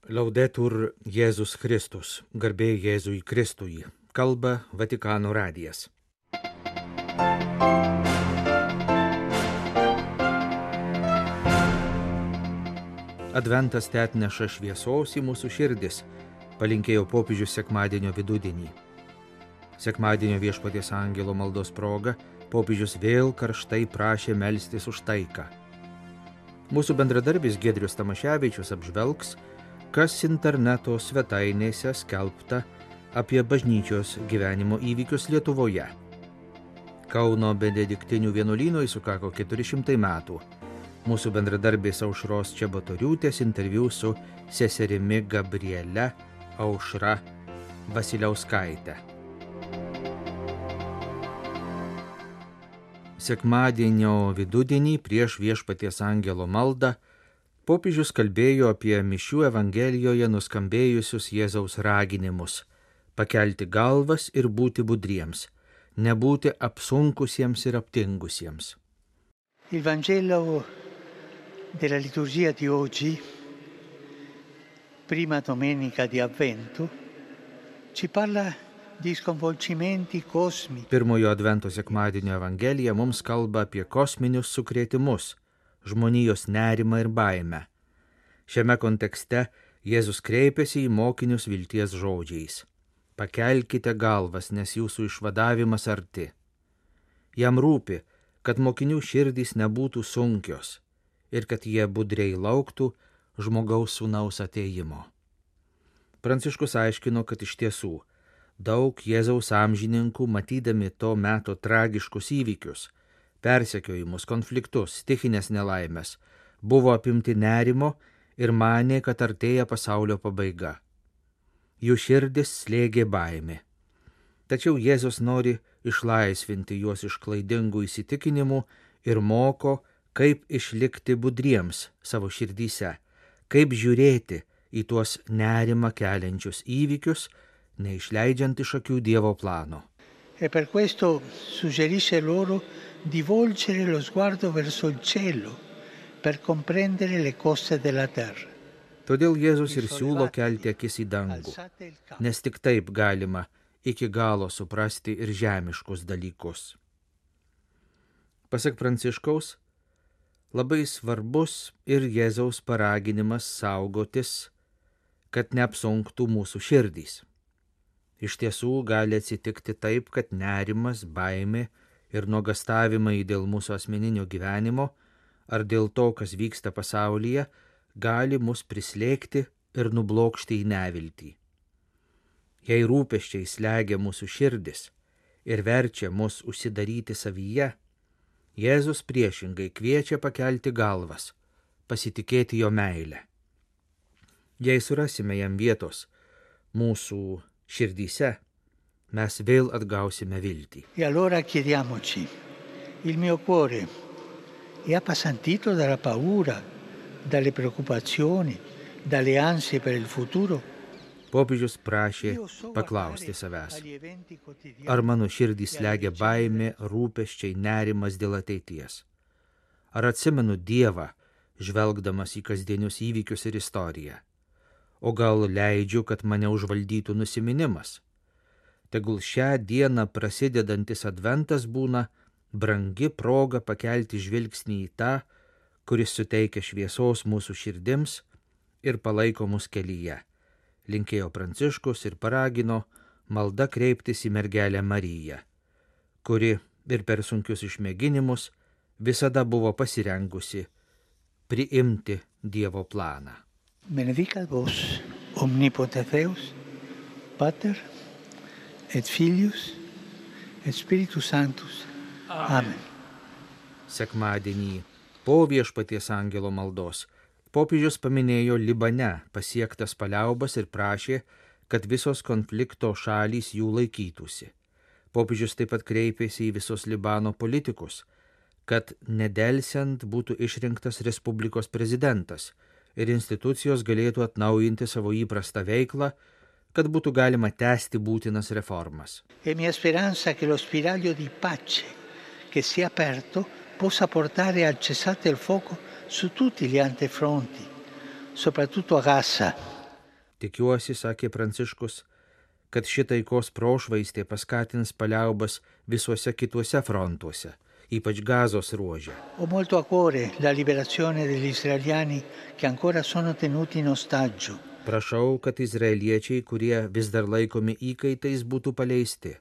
Laudetur Jėzus Kristus, garbė Jėzui Kristui, kalba Vatikano radijas. Adventas atneša šviesos į mūsų širdis, palinkėjo popiežius sekmadienio vidudienį. Sekmadienio Viešpaties angelo maldos proga popiežius vėl karštai prašė melstis už taiką. Mūsų bendradarbis Giedrius Tamaševičius apžvelgs, kas interneto svetainėse skelbta apie bažnyčios gyvenimo įvykius Lietuvoje. Kauno benediktinių vienuolynui sukako 400 metų. Mūsų bendradarbės Aušros Čebatoriūtės interviu su seserimi Gabriele Aušra Vasiliauskaite. Sekmadienio vidudienį prieš Viešpaties angelo maldą popiežius kalbėjo apie mišių evangelijoje nuskambėjusius Jėzaus raginimus – pakelti galvas ir būti budriems, nebūti apsunkusiems ir aptingusiems. Il Vangelo della liturgia di oggi, prima domenica di Avvento, ci parla di sconvolgimenti cosmici. Pirmojo advento sekmadienio evangelija mums kalba apie kosminius sukrėtimus, žmonijos nerimą ir baimę. Šiame kontekste Jėzus kreipėsi į mokinius vilties žodžiais. Pakelkite galvas, nes jūsų išvadavimas arti. Jam rūpi, kad mokinių širdys nebūtų sunkios ir kad jie budriai lauktų žmogaus sūnaus atėjimo. Pranciškus aiškino, kad iš tiesų daug Jėzaus amžininkų, matydami to meto tragiškus įvykius, persekiojimus, konfliktus, stichinės nelaimės, buvo apimti nerimo ir manė, kad artėja pasaulio pabaiga. Jų širdis slėgė baimė. Tačiau Jėzus nori išlaisvinti juos iš klaidingų įsitikinimų ir moko, kaip išlikti budriems savo širdyse, kaip žiūrėti į tuos nerimą keliančius įvykius, neišleidžiant iš akių Dievo plano. E per questo suggerisce loro di volgere lo sguardo verso il cielo per comprendere le cose della terra. Todėl Jėzus ir siūlo kelti akis į dangų, nes tik taip galima iki galo suprasti ir žemiškus dalykus. Pasak Pranciškaus, labai svarbus ir Jėzaus paraginimas saugotis, kad neapsunktų mūsų širdys. Iš tiesų gali atsitikti taip, kad nerimas, baimė ir nuogastavimai dėl mūsų asmeninio gyvenimo ar dėl to, kas vyksta pasaulyje, gali mus prislėgti ir nublokšti į neviltį. Jei rūpesčiai slegia mūsų širdis ir verčia mus užsidaryti savyje, Jėzus priešingai kviečia pakelti galvas, pasitikėti jo meilę. Jei surasime jam vietos mūsų širdyse, mes vėl atgausime viltį. E allora chiediamoci, il mio cuore è appesantito dalla paura, dalle preoccupazioni, dalle ansie per il futuro? Popiežius prašė paklausti savęs, ar mano širdį slegia baimė, rūpesčiai, nerimas dėl ateities? Ar atsimenu Dievą, žvelgdamas į kasdienius įvykius ir istoriją? O gal leidžiu, kad mane užvaldytų nusiminimas? Tegul šią dieną prasidedantis adventas būna brangi proga pakelti žvilgsnį į tą, kuris suteikia šviesos mūsų širdims ir palaiko mus kelyje. Linkėjo Pranciškus ir paragino malda kreiptis į mergelę Mariją, kuri ir per sunkius išmėginimus visada buvo pasirengusi priimti Dievo planą. Benedicat vos, omnipotens Deus, Pater, et Filius, et Spiritus Sanctus. Amen. Sekmadienį po Viešpaties angelo maldos popiežius paminėjo Libane pasiektas paliaubas ir prašė, kad visos konflikto šalys jų laikytųsi. Popiežius taip pat kreipėsi į visus Libano politikus, kad nedelsiant būtų išrinktas Respublikos prezidentas ir institucijos galėtų atnaujinti savo įprastą veiklą, kad būtų galima tęsti būtinas reformas. E mia speranza che lo spiraglio di pace che si è aperto possa portare al cessate il fuoco su tutti gli altri fronti, soprattutto a Gaza. Tikiuosi, sakė Pranciškus, kad ši taikos prošvaistė paskatins paliaubas visuose kituose frontuose, ypač Gazos ruože. Ho molto a cuore la liberazione degli israeliani che ancora sono tenuti in ostaggio. Prašau, kad izraeliečiai, kurie vis dar laikomi įkaitais, būtų paleisti,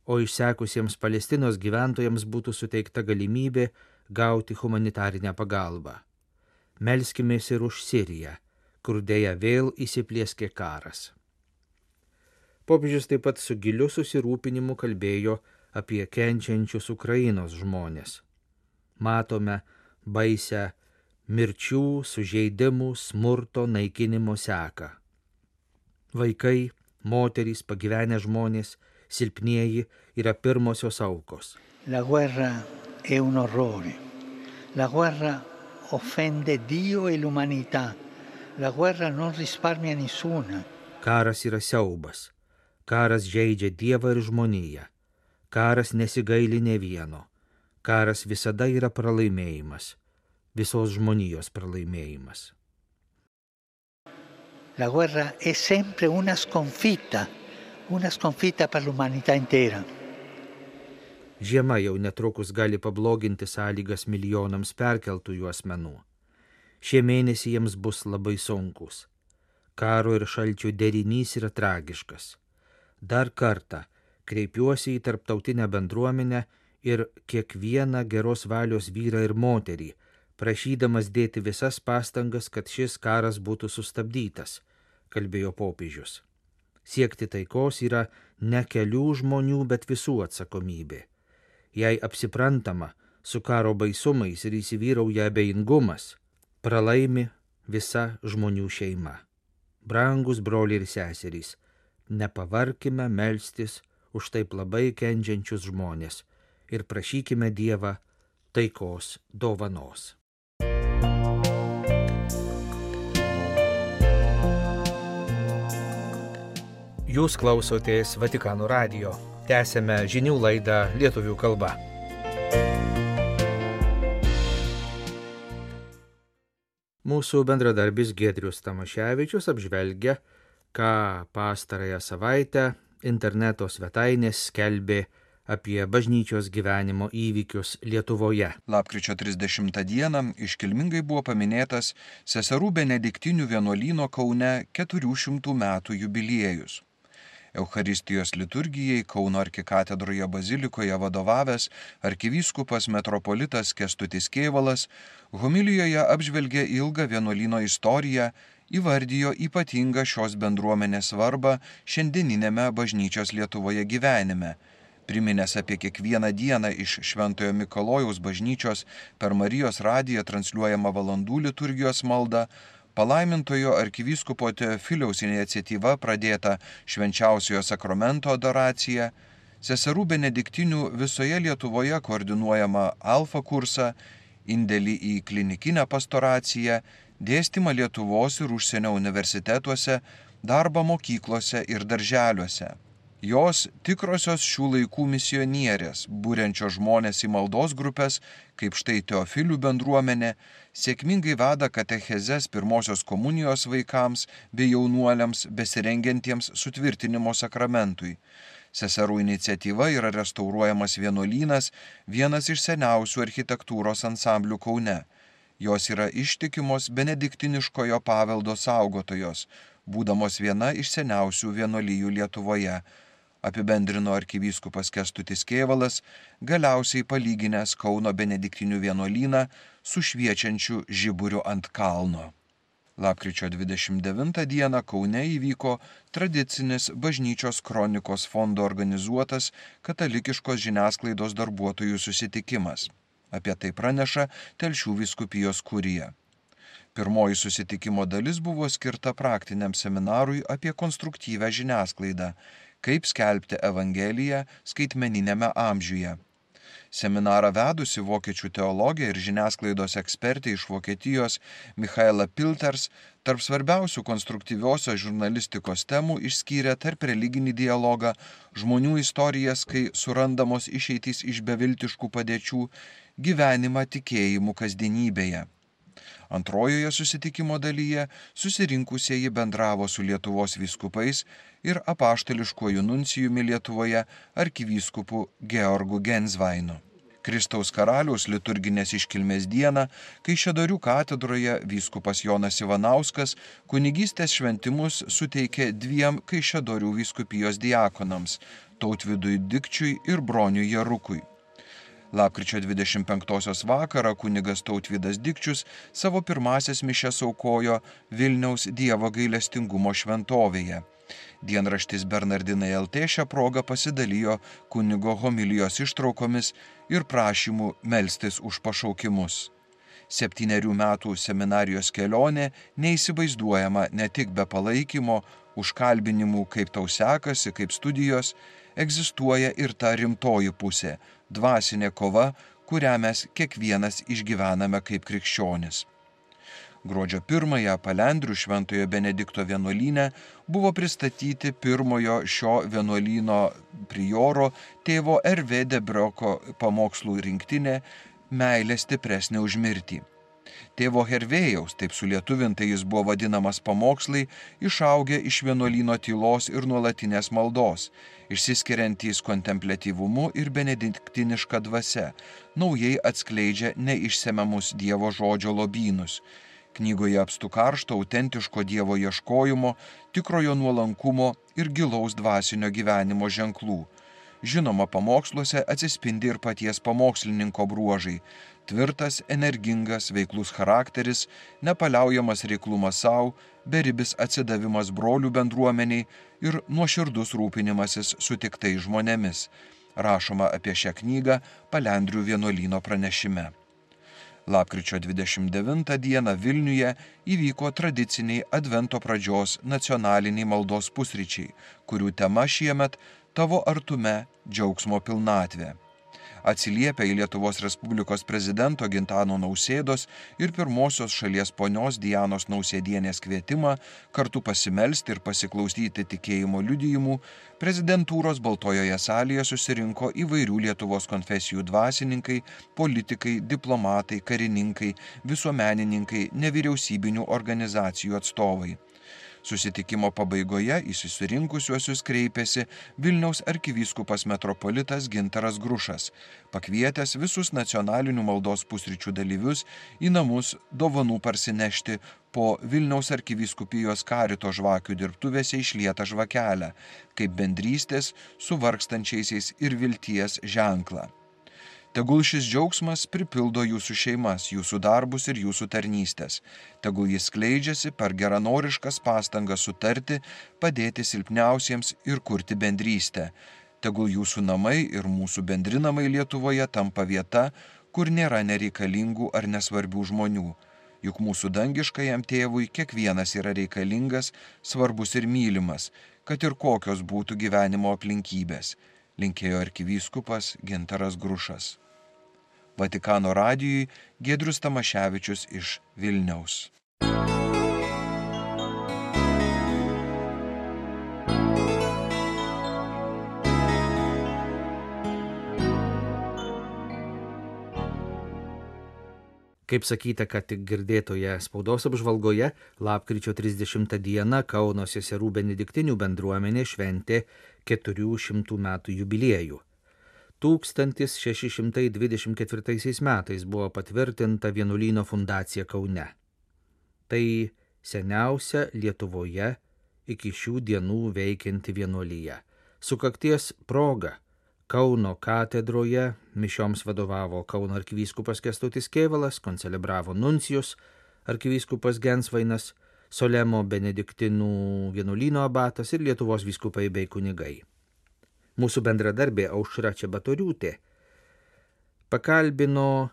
o išsekusiems Palestinos gyventojams būtų suteikta galimybė gauti humanitarinę pagalbą. Melskimės ir už Siriją, kur dėja vėl įsiplieskė karas. Popiežius taip pat su giliu susirūpinimu kalbėjo apie kenčiančius Ukrainos žmonės. Matome baisę mirčių, sužeidimų, smurto, naikinimo seką. Vaikai, moterys, pagyvenę žmonės, silpnieji yra pirmosios aukos. La guerra è un orrore. La guerra offende Dio e l'umanità. La guerra non risparmia nessuna. Karas yra siaubas. Karas žeidžia Dievą ir žmoniją. Karas nesigaili nė vieno. Karas visada yra pralaimėjimas. Visos žmonijos pralaimėjimas. La guerra è sempre una sconfitta per l'umanità intera. Žiema jau netrukus gali pabloginti sąlygas milijonams perkeltųjų asmenų. Šie mėnesiai jiems bus labai sunkus. Karo ir šalčio derinys yra tragiškas. Dar kartą kreipiuosi į tarptautinę bendruomenę ir kiekvieną geros valios vyrą ir moterį, prašydamas dėti visas pastangas, kad šis karas būtų sustabdytas, kalbėjo popiežius. Siekti taikos yra ne kelių žmonių, bet visų atsakomybė. Jei apsiprantama su karo baisumais ir įsivyrauja abejingumas, pralaimi visa žmonių šeima. Brangus broliai ir seserys, nepavarkime melstis už taip labai kenčiančius žmonės ir prašykime Dievą taikos dovanos. Jūs klausotės Vatikano radijo. Tęsėme žinių laidą lietuvių kalba. Mūsų bendradarbis Giedrius Tamaševičius apžvelgia, ką pastarąją savaitę interneto svetainės skelbė apie bažnyčios gyvenimo įvykius Lietuvoje. Lapkričio 30 dieną iškilmingai buvo paminėtas Seserų Benediktinių vienuolyno Kaune 400 metų jubiliejus. Eucharistijos liturgijai Kauno arkikatedroje bazilikoje vadovavęs arkivyskupas metropolitas Kęstutis Kėvalas homilijoje apžvelgė ilgą vienuolyno istoriją, įvardijo ypatingą šios bendruomenės svarbą šiandieninėme bažnyčios Lietuvoje gyvenime, priminęs apie kiekvieną dieną iš Šventojo Mikalojaus bažnyčios per Marijos radiją transliuojamą valandų liturgijos maldą, palaimintojo arkivyskupo Teofiliaus iniciatyva pradėta švenčiausiojo sakramento adoracija, Seserų Benediktinių visoje Lietuvoje koordinuojama Alfa kursą, indėlį į klinikinę pastoraciją, dėstymą Lietuvos ir užsienio universitetuose, darbą mokyklose ir darželiuose. Jos tikrosios šių laikų misionierės, būrenčios žmonės į maldos grupės, kaip štai Teofilių bendruomenė, sėkmingai veda katechezes pirmosios komunijos vaikams bei jaunuoliams besirengiantiems sutvirtinimo sakramentui. Seserų iniciatyva yra restauruojamas vienuolynas, vienas iš seniausių architektūros ansamblių Kaune. Jos yra ištikimos benediktiniškojo paveldo saugotojos, būdamos viena iš seniausių vienuolijų Lietuvoje, apibendrino arkivyskupas Kęstutis Kėvalas, galiausiai palyginęs Kauno benediktinių vienuolyną su šviečiančiu žiburiu ant kalno. Lapkričio 29 dieną Kaune įvyko tradicinis bažnyčios kronikos fondo organizuotas katalikiškos žiniasklaidos darbuotojų susitikimas. Apie tai praneša Telšių vyskupijos kurija. Pirmoji susitikimo dalis buvo skirta praktiniam seminarui apie konstruktyvią žiniasklaidą, kaip skelbti Evangeliją skaitmeniniame amžiuje. Seminarą vedusi vokiečių teologė ir žiniasklaidos ekspertė iš Vokietijos Michaela Pilters tarp svarbiausių konstruktyviosios žurnalistikos temų išskyrė tarp religinį dialogą, žmonių istorijas, kai surandamos išeitys iš beviltiškų padėčių, gyvenimą tikėjimų kasdienybėje. Antrojoje susitikimo dalyje susirinkusieji bendravo su Lietuvos vyskupais ir apaštališkuoju nuncijumi Lietuvoje arkivyskupu Georgu Gensvainu. Kristaus karaliaus liturginės iškilmės dieną Kaišiadorių katedroje vyskupas Jonas Ivanauskas kunigystės šventimus suteikė 2 Kaišiadorių vyskupijos diakonams – Tautvydui Dikčiui ir Broniui Jarukui. Lapkričio 25 vakarą kunigas Tautvydas Dikčius savo pirmąsias mišias aukojo Vilniaus Dievo gailestingumo šventovėje. Dienraštis Bernardinai LT šią progą pasidalijo kunigo homilijos ištraukomis ir prašymų melstis už pašaukimus. 7 metų seminarijos kelionė neįsivaizduojama ne tik be palaikymo, užkalbinimų, kaip tau sekasi, kaip studijos, egzistuoja ir ta rimtoji pusė – dvasinė kova, kurią mes kiekvienas išgyvename kaip krikščionis. Gruodžio 1-ąją Palendrių Šventojo Benedikto vienuolyne buvo pristatyti pirmojo šio vienuolyno prioro tėvo R.V. Debrioko pamokslų rinktinė Meilė stipresnė už mirtį. Tėvo Hervėjaus, taip sulietuvintai jis buvo vadinamas pamokslai, išaugę iš vienuolyno tylos ir nuolatinės maldos, išsiskiriantys kontempliatyvumu ir benediktiniška dvasia, naujai atskleidžia neišsemiamus Dievo žodžio lobynus. Knygoje apstu karšto, autentiško Dievo ieškojimo, tikrojo nuolankumo ir gilaus dvasinio gyvenimo ženklų. Žinoma, pamoksluose atsispindi ir paties pamokslininko bruožai – tvirtas, energingas, veiklus charakteris, nepaliaujamas reiklumas savo, beribis atsidavimas brolių bendruomeniai ir nuoširdus rūpinimasis sutiktais žmonėmis. Rašoma apie šią knygą Palendrių vienuolyno pranešime. Lapkričio 29 dieną Vilniuje įvyko tradiciniai Advento pradžios nacionaliniai maldos pusryčiai, kurių tema šiemet Tavo artume džiaugsmo pilnatvė. Atsiliepia į Lietuvos Respublikos prezidento Gintano Nausėdos ir pirmosios šalies ponios Dianos Nausėdienės kvietimą kartu pasimelsti ir pasiklausyti tikėjimo liudijimų, prezidentūros Baltojoje salėje susirinko įvairių Lietuvos konfesijų dvasininkai, politikai, diplomatai, karininkai, visuomenininkai, nevyriausybinių organizacijų atstovai. Susitikimo pabaigoje į susirinkusiuosius kreipėsi Vilniaus arkivyskupas metropolitas Gintaras Grušas, pakvietęs visus nacionalinių maldos pusryčių dalyvius į namus dovanų parsinešti po Vilniaus arkivyskupijos karito žvakių dirbtuvėse išlietą žvakelę, kaip bendrystės su vargstančiaisiais ir vilties ženklą. Tegul šis džiaugsmas pripildo jūsų šeimas, jūsų darbus ir jūsų tarnystės. Tegul jis skleidžiasi per geranoriškas pastangas sutarti, padėti silpniausiems ir kurti bendrystę. Tegul jūsų namai ir mūsų bendri namai Lietuvoje tampa vieta, kur nėra nereikalingų ar nesvarbių žmonių. Juk mūsų dangiškajam tėvui kiekvienas yra reikalingas, svarbus ir mylimas, kad ir kokios būtų gyvenimo aplinkybės. Linkėjo arkivyskupas Gintaras Grušas. Vatikano radijui Giedrius Tamaševičius iš Vilniaus. Kaip sakyta, kad tik girdėtoje spaudos apžvalgoje, lapkričio 30 dieną Kauno seserų benediktinių bendruomenė šventė 400 metų jubiliejų. 1624 metais buvo patvirtinta vienuolyno fundacija Kaune. Tai seniausia Lietuvoje iki šių dienų veikianti vienuolija. Sukakties proga Kauno katedroje mišioms vadovavo Kauno arkivyskupas Kęstutis Kėvalas, koncelebravo nuncijus arkivyskupas Gensvainas, Solemo benediktinų vienuolyno abatas ir Lietuvos vyskupai bei kunigai. Mūsų bendradarbė Aušra Čebatoriūtė pakalbino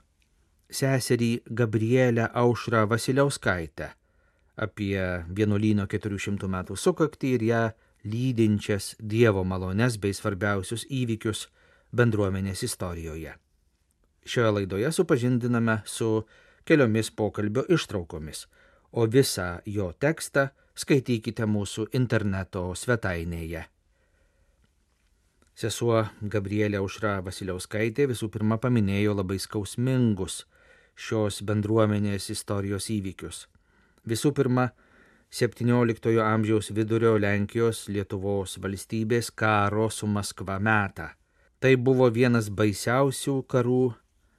seserį Gabrielę Aušrą Vasiliauskaitę apie vienuolyno 400 metų sukaktį ir ją lydinčias Dievo malones bei svarbiausius įvykius bendruomenės istorijoje. Šioje laidoje supažindiname su keliomis pokalbio ištraukomis, o visą jo tekstą skaitykite mūsų interneto svetainėje. Sesuo Gabrielė Aušra Vasiliauskaitė visų pirma paminėjo labai skausmingus šios bendruomenės istorijos įvykius. Visų pirma, 17 amžiaus vidurio Lenkijos Lietuvos valstybės karo su Maskva metą. Tai buvo vienas baisiausių karų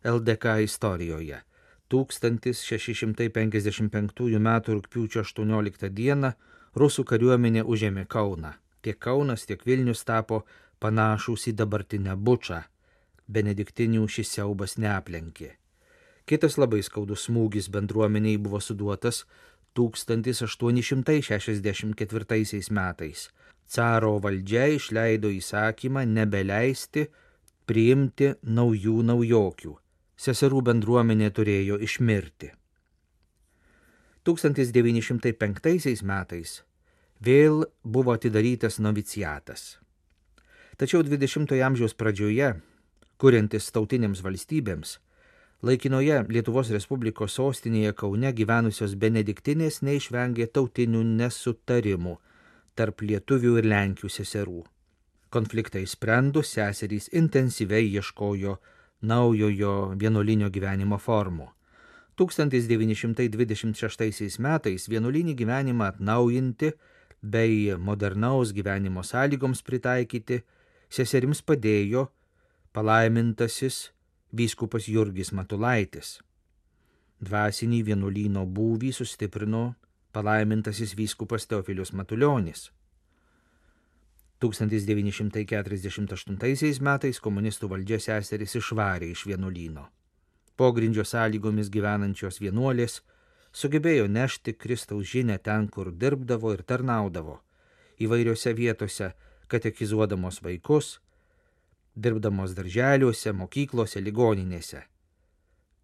LDK istorijoje. 1655 m. rugpjūčio 18 d. rusų kariuomenė užėmė Kauną. Tiek Kaunas, tiek Vilnius tapo panašūs į dabartinę Bučą. Benediktinių šis siaubas neaplenkė. Kitas labai skaudus smūgis bendruomeniai buvo suduotas 1864 metais. Caro valdžia išleido įsakymą nebeleisti priimti naujų naujokių. Seserų bendruomenė turėjo išmirti. 1905 metais vėl buvo atidarytas noviciatas. Tačiau 20 amžiaus pradžioje, kuriantis tautinėms valstybėms, laikinoje Lietuvos Respublikos sostinėje Kaune gyvenusios benediktinės neišvengė tautinių nesutarimų tarp lietuvių ir lenkių seserų. Konfliktą išsprendus, seserys intensyviai ieškojo naujojo vienuolinio gyvenimo formų. 1926 metais vienuolinį gyvenimą atnaujinti bei modernaus gyvenimo sąlygoms pritaikyti seserims padėjo palaimintasis vyskupas Jurgis Matulaitis. Dvasinį vienuolyno būvį sustiprino palaimintasis vyskupas Teofilius Matulionis. 1948 metais komunistų valdžia seseris išvarė iš vienuolyno. Pogrindžio sąlygomis gyvenančios vienuolės sugebėjo nešti Kristaus žinią ten, kur dirbdavo ir tarnaudavo, įvairiose vietose katekizuodamos vaikus, dirbdamos darželiuose, mokyklose, ligoninėse.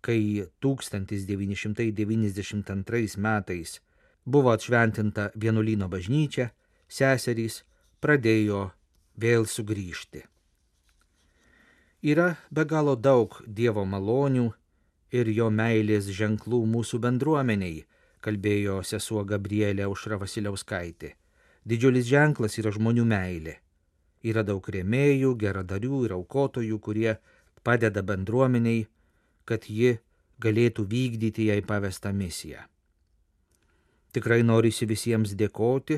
Kai 1992 metais buvo atšventinta vienuolyno bažnyčia, seserys pradėjo vėl sugrįžti. Yra be galo daug Dievo malonių ir jo meilės ženklų mūsų bendruomeniai, kalbėjo sesuo Gabrielė Aušra Vasiliauskaitė. Didžiulis ženklas yra žmonių meilė. Yra daug rėmėjų, geradarių ir aukotojų, kurie padeda bendruomeniai, kad ji galėtų vykdyti jai pavestą misiją. Tikrai norisi visiems dėkoti,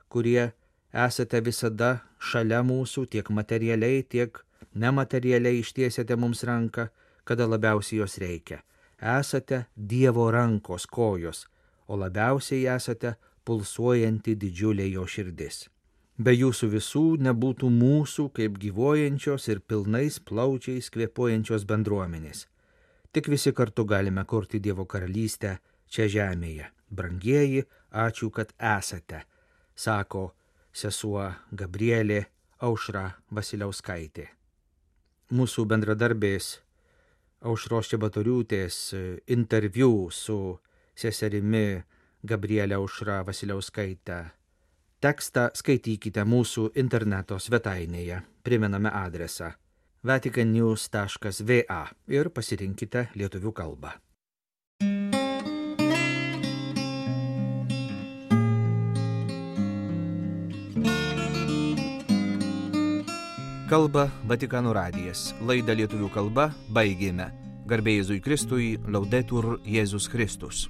kurie esate visada šalia mūsų, tiek materialiai, tiek nematerialiai ištiesėte mums ranką, kada labiausiai jos reikia. Esate Dievo rankos kojos, o labiausiai esate pulsuojanti didžiulė jo širdis. Be jūsų visų nebūtų mūsų kaip gyvuojančios ir pilnais plaučiais kvėpuojančios bendruomenės. Tik visi kartu galime kurti Dievo karalystę čia žemėje. Brangieji, ačiū, kad esate, sako sesuo Gabrielė Aušra Vasiliauskaitė. Mūsų bendradarbės Aušros Čebatoriūtės interviu su seserimi Gabrielė Aušra Vasiliauskaitė. Tekstą skaitykite mūsų interneto svetainėje. Primename adresą vaticannews.va ir pasirinkite lietuvių kalbą. Kalba Vatikano radijas. Laidą lietuvių kalba baigėme. Garbė Jėzui Kristui, Laudetur Jėzus Kristus.